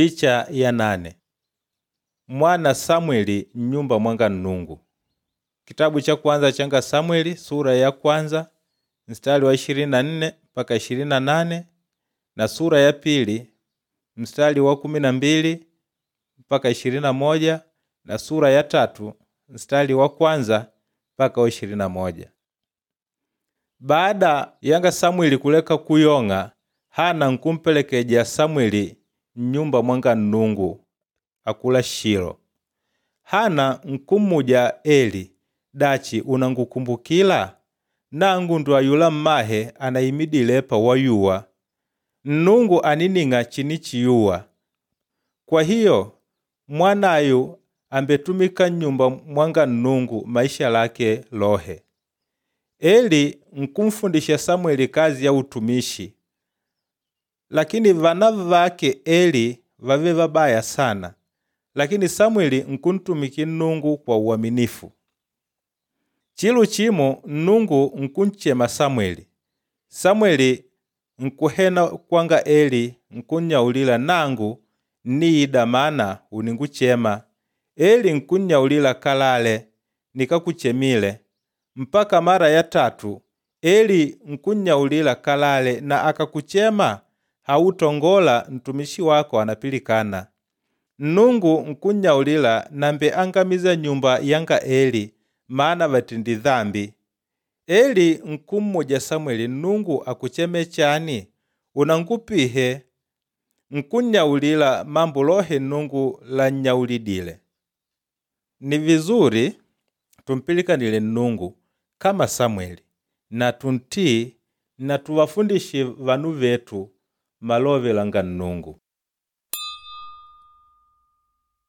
Picha ya nane. Mwana Samweli mnyumba mwanga Nnungu. Kitabu cha kwanza changa Samweli sura ya kwanza mstari wa 24 mpaka 28 na sura ya pili mstari wa 12 mpaka 21 na sura ya tatu mstari wa kwanza mpaka wa 21. Baada yanga Samweli kuleka kuyong'a, Hana nkumpelekeja Samweli mnyumba mwanga Nnungu akula Shilo. Hana nkummuja Eli, dachi unangukumbukila? Nangu ndo ayula mmahe anaimidile epa wayuwa. Nnungu anining'a chinichiyuwa. Kwa hiyo mwanayu ambetumika nnyumba mwanga Nnungu maisha lake lohe. Eli nkumfundisha Samweli kazi ya utumishi, lakini vana vake Eli vave vabaya sana, lakini Samweli nkuntumiki Nnungu kwa uaminifu. Chilu chimo Nnungu nkunchema Samweli. Samweli nkuhena kwanga Eli nkunnyaulila nangu nniida mana uninguchema. Eli nkunnyaulila kalale nikakuchemile. Mpaka mara ya tatu Eli nkunnyaulila kalale na akakuchema hautongola mtumishi wako anapilikana. Nnungu nkunnyaulila nambe angamiza nyumba yanga Eli maana vatindi dhambi. Eli nkummuja Samweli Nnungu akucheme chani? Unangupihe nkunnyaulila mambo lohe Nnungu lannyaulidile. Ni vizuri tumpilikanile Nnungu kama Samweli na tuntii na tuwafundishe vanu vetu malove langa Nnungu.